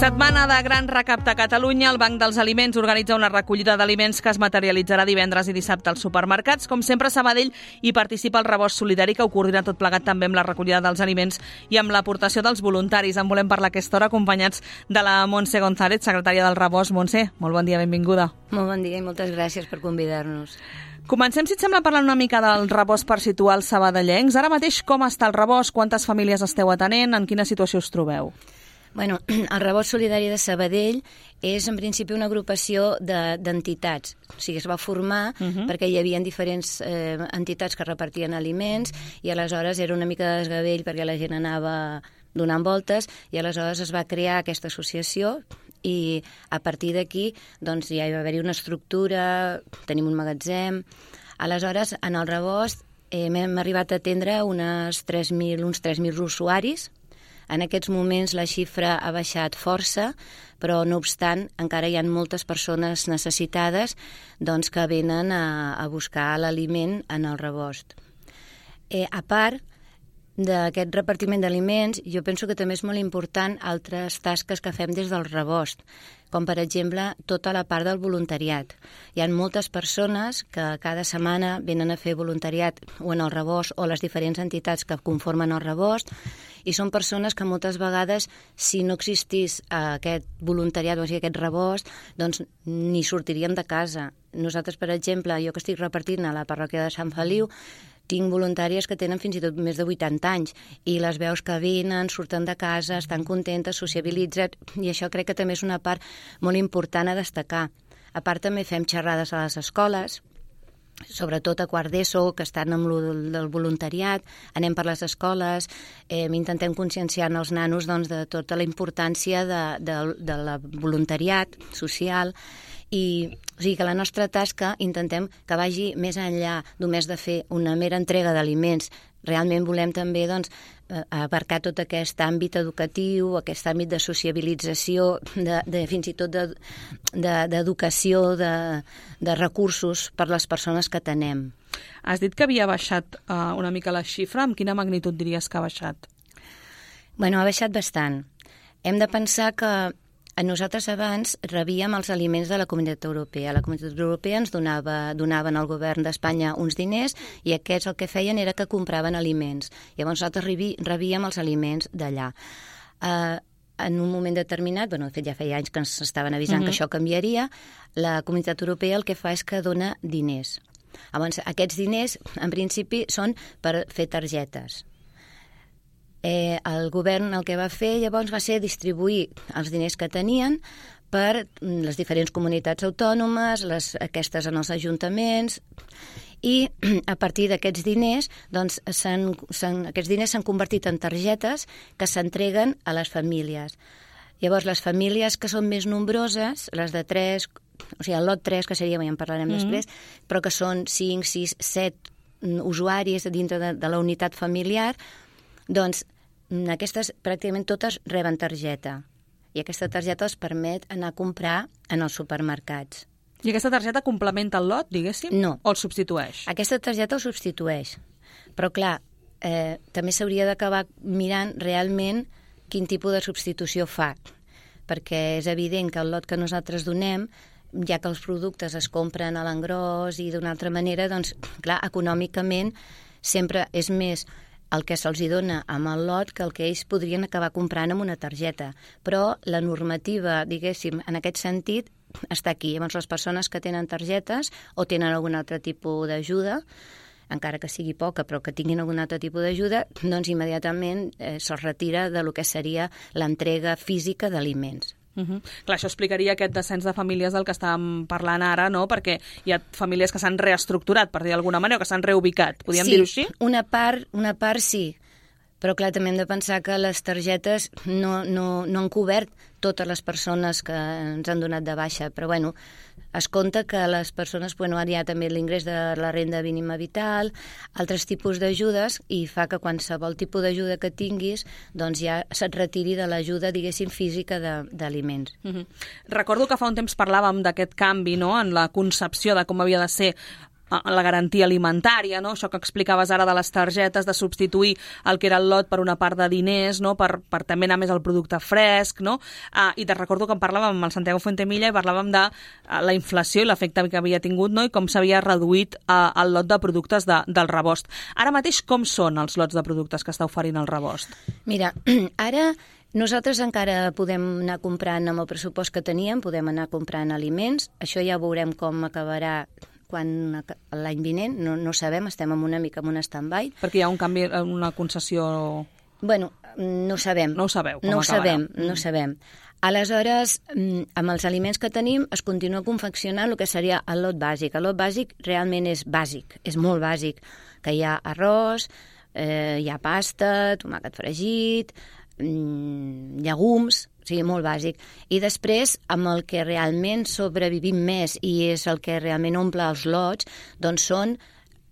Setmana de gran recapte a Catalunya. El Banc dels Aliments organitza una recollida d'aliments que es materialitzarà divendres i dissabte als supermercats. Com sempre, a Sabadell hi participa el Rebost Solidari, que ho coordina tot plegat també amb la recollida dels aliments i amb l'aportació dels voluntaris. En volem parlar a aquesta hora acompanyats de la Montse González, secretària del Rebost. Montse, molt bon dia, benvinguda. Molt bon dia i moltes gràcies per convidar-nos. Comencem, si et sembla, parlant una mica del Rebost per situar els sabadellencs. Ara mateix, com està el Rebost? Quantes famílies esteu atenent? En quina situació us trobeu? Bueno, el Rebost Solidari de Sabadell és en principi una agrupació d'entitats. O sigui, es va formar perquè hi havia diferents entitats que repartien aliments i aleshores era una mica de desgavell perquè la gent anava donant voltes i aleshores es va crear aquesta associació i a partir d'aquí doncs, ja hi va haver-hi una estructura, tenim un magatzem. Aleshores, en el Rebost hem arribat a atendre uns 3.000 usuaris. En aquests moments la xifra ha baixat força, però no obstant encara hi ha moltes persones necessitades doncs, que venen a buscar l'aliment en el Rebost. A part d'aquest repartiment d'aliments, jo penso que també és molt important altres tasques que fem des del Rebost, com per exemple tota la part del voluntariat. Hi ha moltes persones que cada setmana venen a fer voluntariat o en el Rebost o les diferents entitats que conformen el Rebost i són persones que moltes vegades, si no existís aquest voluntariat o sigui, aquest Rebost, doncs ni sortirien de casa. Nosaltres, per exemple, jo que estic repartint a la parròquia de Sant Feliu, tinc voluntàries que tenen fins i tot més de 80 anys i les veus que venen, surten de casa, estan contentes, sociabilitzen i això crec que també és una part molt important a destacar. A part també fem xerrades a les escoles, sobretot a quart d'ESO, que estan amb el voluntariat, anem per les escoles, intentem conscienciar els nanos doncs, de tota la importància del voluntariat social i o sigui que la nostra tasca intentem que vagi més enllà només de fer una mera entrega d'aliments. Realment volem també doncs, abarcar tot aquest àmbit educatiu, aquest àmbit de sociabilització, fins i tot d'educació, de recursos per les persones que tenem. Has dit que havia baixat una mica la xifra. Amb quina magnitud diries que ha baixat? Bueno, ha baixat bastant. Hem de pensar que nosaltres abans rebíem els aliments de la Comunitat Europea. La Comunitat Europea ens donaven al govern d'Espanya uns diners i aquests el que feien era que compraven aliments. Llavors nosaltres rebíem els aliments d'allà. En un moment determinat, de fet ja feia anys que ens estaven avisant que això canviaria, la Comunitat Europea el que fa és que dona diners. Llavors, aquests diners, en principi, són per fer targetes. El govern el que va fer llavors va ser distribuir els diners que tenien per les diferents comunitats autònomes, aquestes en els ajuntaments, i a partir d'aquests diners, doncs, aquests diners s'han convertit en targetes que s'entreguen a les famílies. Llavors, les famílies que són més nombroses, les de 3, o sigui, el lot 3, que seria, ja en parlarem després, però que són 5, 6, 7 usuaris dintre de la unitat familiar, doncs aquestes pràcticament totes reben targeta i aquesta targeta els permet anar a comprar en els supermercats. I aquesta targeta complementa el lot, diguéssim? No. O el substitueix? Aquesta targeta el substitueix. Però, clar, també s'hauria d'acabar mirant realment quin tipus de substitució fa, perquè és evident que el lot que nosaltres donem, ja que els productes es compren a l'engròs i d'una altra manera, doncs, clar, econòmicament sempre és més el que se'ls dona amb el lot que el que ells podrien acabar comprant amb una targeta. Però la normativa, diguéssim, en aquest sentit, està aquí. Llavors, les persones que tenen targetes o tenen algun altre tipus d'ajuda, encara que sigui poca, però que tinguin algun altre tipus d'ajuda, doncs immediatament se'ls retira de lo que seria l'entrega física d'aliments. Clar, això explicaria aquest descens de famílies del que estàvem parlant ara, no? Perquè hi ha famílies que s'han reestructurat, per dir d'alguna manera, o que s'han reubicat. Podríem dir-ho així? Sí, una part sí. Però, clar, també hem de pensar que les targetes no han cobert totes les persones que ens han donat de baixa. Però, bueno, es compta que les persones, ara hi ha també l'ingrés de la renda mínima vital, altres tipus d'ajudes, i fa que qualsevol tipus d'ajuda que tinguis, doncs ja se't retiri de l'ajuda, diguéssim, física d'aliments. Recordo que fa un temps parlàvem d'aquest canvi, no?, en la concepció de com havia de ser la garantia alimentària, no? Això que explicaves ara de les targetes, de substituir el que era el lot per una part de diners, no? per també anar més al producte fresc, no? I te recordo que en parlàvem amb el Santiago Fuentemilla i parlàvem de la inflació i l'efecte que havia tingut, no? I com s'havia reduït el lot de productes del Rebost. Ara mateix com són els lots de productes que està oferint el Rebost? Mira, ara nosaltres encara podem anar comprant amb el pressupost que teníem, podem anar comprant aliments, això ja veurem com acabarà l'any vinent, no sabem, estem una mica en un stand-by. Perquè hi ha un canvi, una concessió... Bueno, no ho sabem. No ho sabeu, com acabarà. No ho sabem. Aleshores, amb els aliments que tenim es continua confeccionant el que seria el lot bàsic. El lot bàsic realment és bàsic, és molt bàsic, que hi ha arròs, hi ha pasta, tomàquet fregit, llegums, o sigui, molt bàsic. I després, amb el que realment sobrevivim més i és el que realment omple els lots, doncs són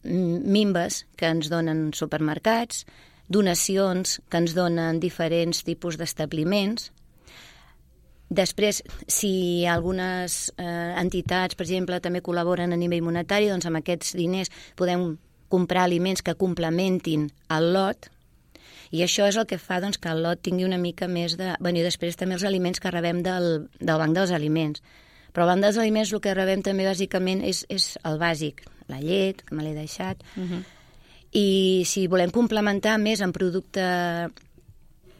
minves que ens donen supermercats, donacions que ens donen diferents tipus d'establiments. Després, si algunes entitats, per exemple, també col·laboren a nivell monetari, doncs amb aquests diners podem comprar aliments que complementin el lot, i això és el que fa doncs, que el lot tingui una mica més de... Bueno, i després també els aliments que rebem del Banc dels Aliments. Però al Banc dels Aliments el que rebem també bàsicament és el bàsic, la llet, que me l'he deixat, i si volem complementar més en producte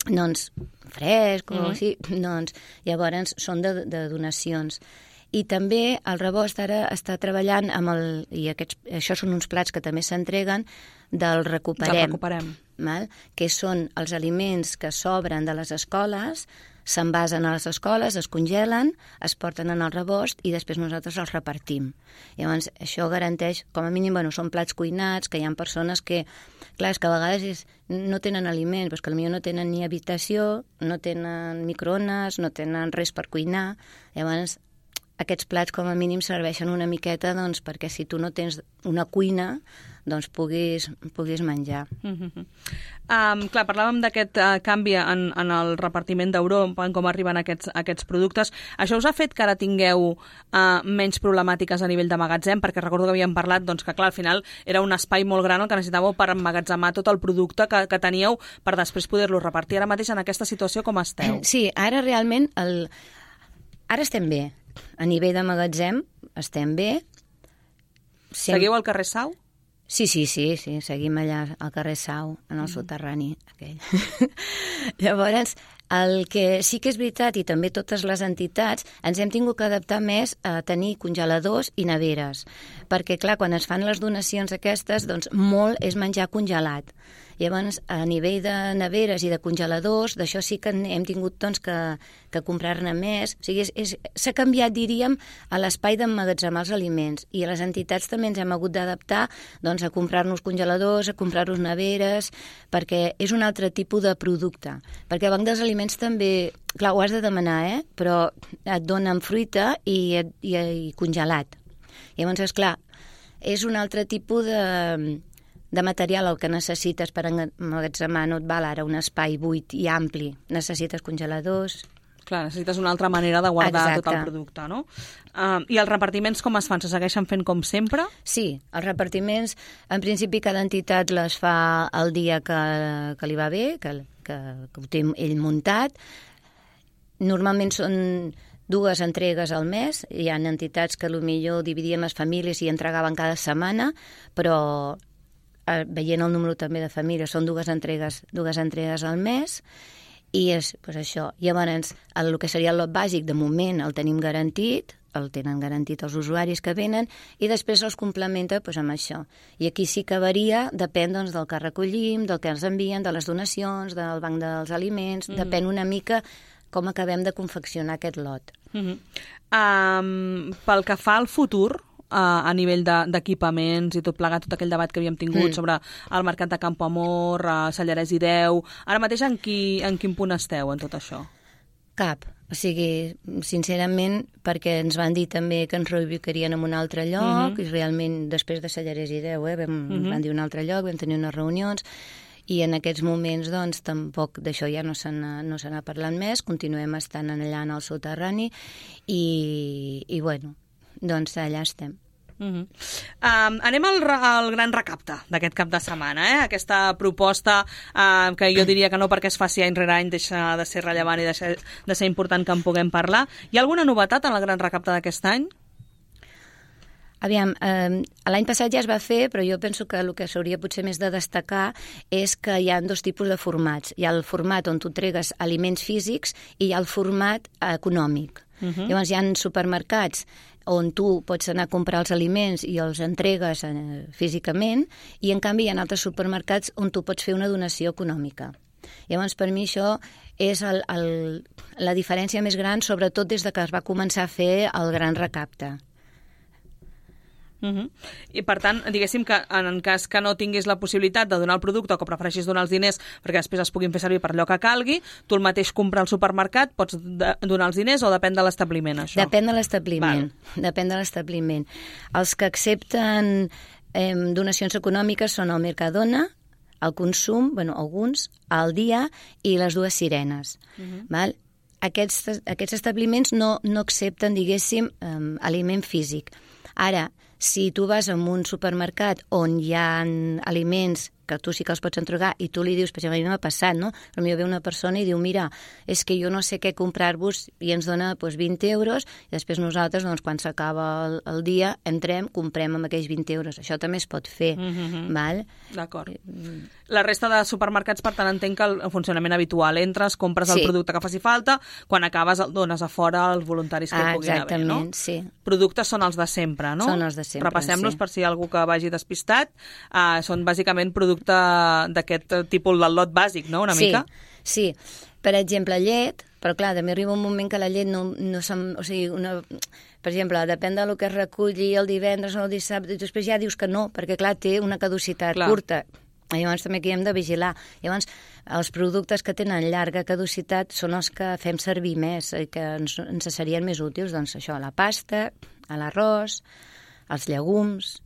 doncs, fresc o així, doncs llavors són de donacions. I també el Rebost ara està treballant amb això són uns plats que també s'entreguen del Recuperem. Val? Que són els aliments que sobren de les escoles, s'envasen a les escoles, es congelen, es porten en el Rebost i després nosaltres els repartim. Llavors, això garanteix, com a mínim, són plats cuinats, que hi ha persones que, clar, és que a vegades no tenen aliments, però que potser no tenen ni habitació, no tenen microones, no tenen res per cuinar. Llavors, aquests plats com a mínim serveixen una miqueta doncs, perquè si tu no tens una cuina doncs puguis menjar. Clar, parlàvem d'aquest canvi en el repartiment d'Europa, en com arriben aquests productes. Això us ha fet que ara tingueu menys problemàtiques a nivell de magatzem? Perquè recordo que havíem parlat doncs, que clar, al final era un espai molt gran el que necessitàveu per emmagatzemar tot el producte que teníeu per després poder-lo repartir. Ara mateix en aquesta situació com esteu? Sí, ara realment ara estem bé. A nivell de magatzem estem bé. Seguiu al carrer Sau? Sí, seguim allà al carrer Sau, en el soterrani aquell. Llavors, el que sí que és veritat, i també totes les entitats, ens hem tingut que adaptar més a tenir congeladors i neveres, perquè, clar, quan es fan les donacions aquestes, doncs molt és menjar congelat. Llavors, a nivell de neveres i de congeladors, d'això sí que hem tingut doncs, que comprar-ne més. O sigui, s'ha canviat, diríem, a l'espai d'emmagatzemar els aliments. I a les entitats també ens hem hagut d'adaptar doncs, a comprar-nos congeladors, a comprar-nos neveres, perquè és un altre tipus de producte. Perquè el Banc dels Aliments també, clar, ho has de demanar, però et donen fruita i congelat. Llavors, esclar, és un altre tipus de material el que necessites per emmagatzemar, no et val ara un espai buit i ampli, necessites congeladors. Clar, necessites una altra manera de guardar tot el producte, no? I els repartiments com es fan? Se segueixen fent com sempre? Sí, els repartiments, en principi cada entitat les fa el dia que li va bé, que ho té ell muntat. Normalment són 2 entregues al mes. Hi ha entitats que potser dividien les famílies i entregaven cada setmana, però veient el número també de famílies, són 2 entregues al mes, i és això. Llavors, el que seria el lot bàsic, de moment el tenim garantit, el tenen garantit els usuaris que venen, i després els complementa amb això. I aquí sí que varia, depèn del que recollim, del que ens envien, de les donacions, del Banc dels Aliments, depèn una mica com acabem de confeccionar aquest lot. Pel que fa al futur, a nivell d'equipaments i tot plegat, tot aquell debat que havíem tingut sobre el mercat de Campoamor, Sallarès i Deu, ara mateix en quin punt esteu en tot això? Cap. O sigui, sincerament, perquè ens van dir també que ens reubicarien en un altre lloc, i realment després de Sallarès i Deu van dir un altre lloc, vam tenir unes reunions, i en aquests moments doncs tampoc d'això ja no se n'ha parlat més, continuem estant allà en el soterrani i bueno, doncs allà estem. Anem al gran recapte d'aquest cap de setmana, aquesta proposta que jo diria que no perquè es faci any rere any deixa de ser rellevant i deixa de ser important que en puguem parlar. Hi ha alguna novetat en el gran recapte d'aquest any? Aviam, l'any passat ja es va fer, però jo penso que el que s'hauria potser més de destacar és que hi ha dos tipus de formats. Hi ha el format on tu entregues aliments físics i hi ha el format econòmic. Llavors hi ha supermercats on tu pots anar a comprar els aliments i els entregues físicament, i en canvi hi ha altres supermercats on tu pots fer una donació econòmica. Llavors, per mi això és la diferència més gran, sobretot des de que es va començar a fer el gran recapte. I per tant, diguéssim que en cas que no tinguis la possibilitat de donar el producte o que prefereixis donar els diners perquè després es puguin fer servir per allò que calgui, tu el mateix comprar al supermercat, pots donar els diners o depèn de l'establiment, això? Depèn de l'establiment. Depèn de l'establiment. Els que accepten donacions econòmiques són el Mercadona, el Consum, alguns, el Dia i les dues Sirenes. Val? Aquests establiments no accepten, diguéssim, aliment físic. Ara, si tu vas a un supermercat on hi ha aliments que tu sí que els pots entregar i tu li dius, per exemple, a mi m'ha passat, no? Potser ve una persona i diu, mira, és que jo no sé què comprar-vos, i ens dona 20 euros, i després nosaltres, quan s'acaba el dia, entrem, comprem amb aquells 20 euros. Això també es pot fer, val? D'acord. La resta de supermercats, per tant, entenc que el funcionament habitual, entres, compres el producte que faci falta, quan acabes el dones a fora als voluntaris que hi puguin haver, no? Exactament, sí. Productes són els de sempre, no? Són els de sempre, Repassem-los per si hi ha algú que vagi despistat. Són bàsicament productes d'aquest tipus del lot bàsic, no?, una mica? Sí. Per exemple, llet, però clar, també arriba un moment que la llet no o sigui, per exemple, depèn del que es reculli el divendres o el dissabte, i després ja dius que no, perquè clar, té una caducitat curta. Llavors també aquí hem de vigilar. Llavors, els productes que tenen llarga caducitat són els que fem servir més i que ens serien més útils. Doncs això, la pasta, l'arròs, els llegums,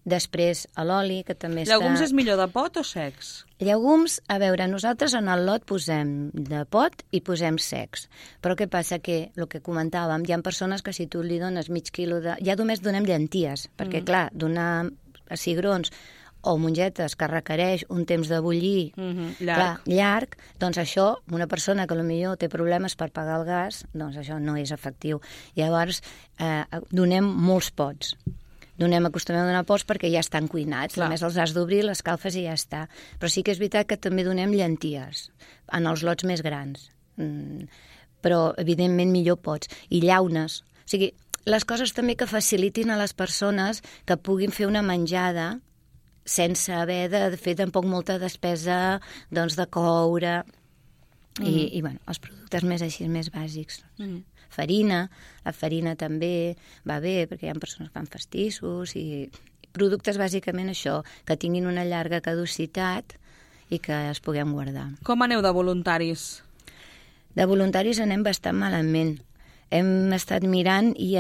després l'oli, que també està... Llegums és millor de pot o secs? Llegums, a veure, nosaltres en el lot posem de pot i posem secs. Però què passa? Que, el que comentàvem, hi ha persones que si tu li dones mig quilo de... Ja només donem llenties, perquè clar, donar cigrons o mongetes que requereix un temps de bullir llarg, doncs això, una persona que potser té problemes per pagar el gas, doncs això no és efectiu. Llavors, donem molts pots. Acostumem a donar pots perquè ja estan cuinats. Només els has d'obrir, les calfes i ja està. Però sí que és veritat que també donem llenties en els lots més grans. Però, evidentment, millor pots. I llaunes. O sigui, les coses també que facilitin a les persones que puguin fer una menjada sense haver de fer tampoc molta despesa de coure i els productes més així, més bàsics. Farina, la farina també va bé perquè hi ha persones que fan pastissos i productes bàsicament això, que tinguin una llarga caducitat i que es puguem guardar. Com aneu de voluntaris? De voluntaris anem bastant malament. Hem estat mirant i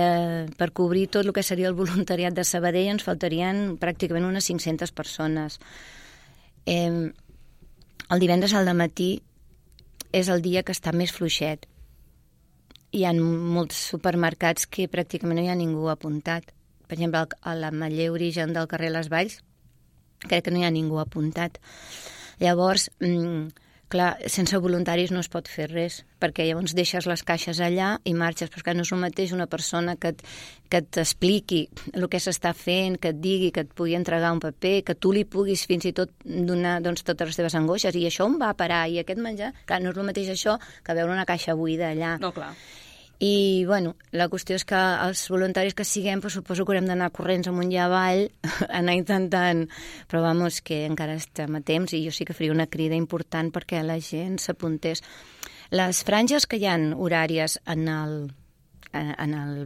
per cobrir tot el que seria el voluntariat de Sabadell ens faltarien pràcticament unes 500 persones. El divendres al dematí és el dia que està més fluixet. Hi ha molts supermercats que pràcticament no hi ha ningú apuntat. Per exemple, a l'Ametller Origen del carrer Les Valls crec que no hi ha ningú apuntat. Llavors, clar, sense voluntaris no es pot fer res, perquè llavors deixes les caixes allà i marxes, però no és el mateix una persona que t'expliqui el que s'està fent, que et digui, que et pugui entregar un paper, que tu li puguis fins i tot donar totes les teves angoixes, i això on va a parar, i aquest menjar, clar, no és el mateix això que veure una caixa buida allà. No, clar. I, la qüestió és que els voluntaris que siguem, suposo que haurem d'anar corrents amunt i avall, anar intentant, però que encara estem a temps i jo sí que faria una crida important perquè la gent s'apuntés. Les franges que hi ha horàries en el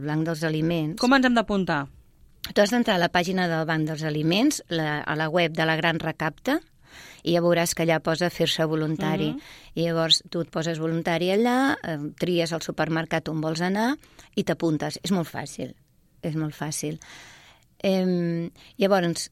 Banc dels Aliments... Com ens hem d'apuntar? Tu has d'entrar a la pàgina del Banc dels Aliments, a la web de la Gran Recapte, i ja veuràs que allà posa fer-se voluntari. I llavors tu et poses voluntari allà, tries el supermercat on vols anar i t'apuntes. És molt fàcil, és molt fàcil. Llavors,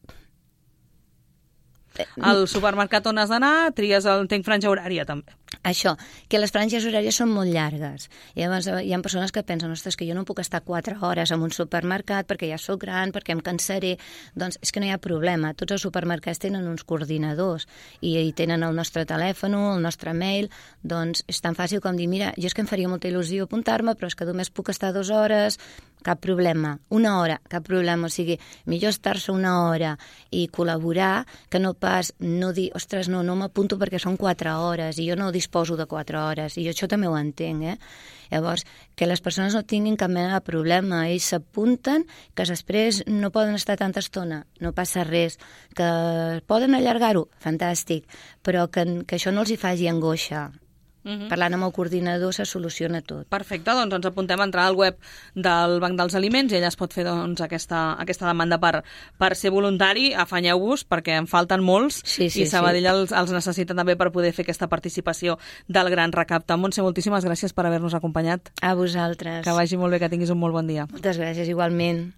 al supermercat on has d'anar, tries tenc franja horària també. Això, que les franges horàries són molt llargues. I llavors hi ha persones que pensen, ostres, que jo no puc estar 4 hores en un supermercat perquè ja sóc gran, perquè em cansaré. Doncs és que no hi ha problema. Tots els supermercats tenen uns coordinadors i tenen el nostre telèfon, el nostre mail. Doncs és tan fàcil com dir, mira, jo és que em faria molta il·lusió apuntar-me, però és que només puc estar 2 hores, cap problema. 1 hora, cap problema. O sigui, millor estar-se 1 hora i col·laborar que no pas no dir, ostres, no m'apunto perquè són 4 hores i jo no disposo de 4 hores. I jo això també ho entenc, Llavors, que les persones no tinguin cap mena de problema. Ells s'apunten, que després no poden estar tanta estona, no passa res. Que poden allargar-ho, fantàstic, però que això no els hi faci angoixa. Parlant amb el coordinador se soluciona tot. Perfecte, doncs ens apuntem a entrar al web del Banc dels Aliments i ella es pot fer aquesta demanda per ser voluntari. Afanyeu-vos perquè en falten molts i Sabadell els necessita també per poder fer aquesta participació del gran recapte. Montse, moltíssimes gràcies per haver-nos acompanyat. A vosaltres. Que vagi molt bé, que tinguis un molt bon dia. Moltes gràcies, igualment.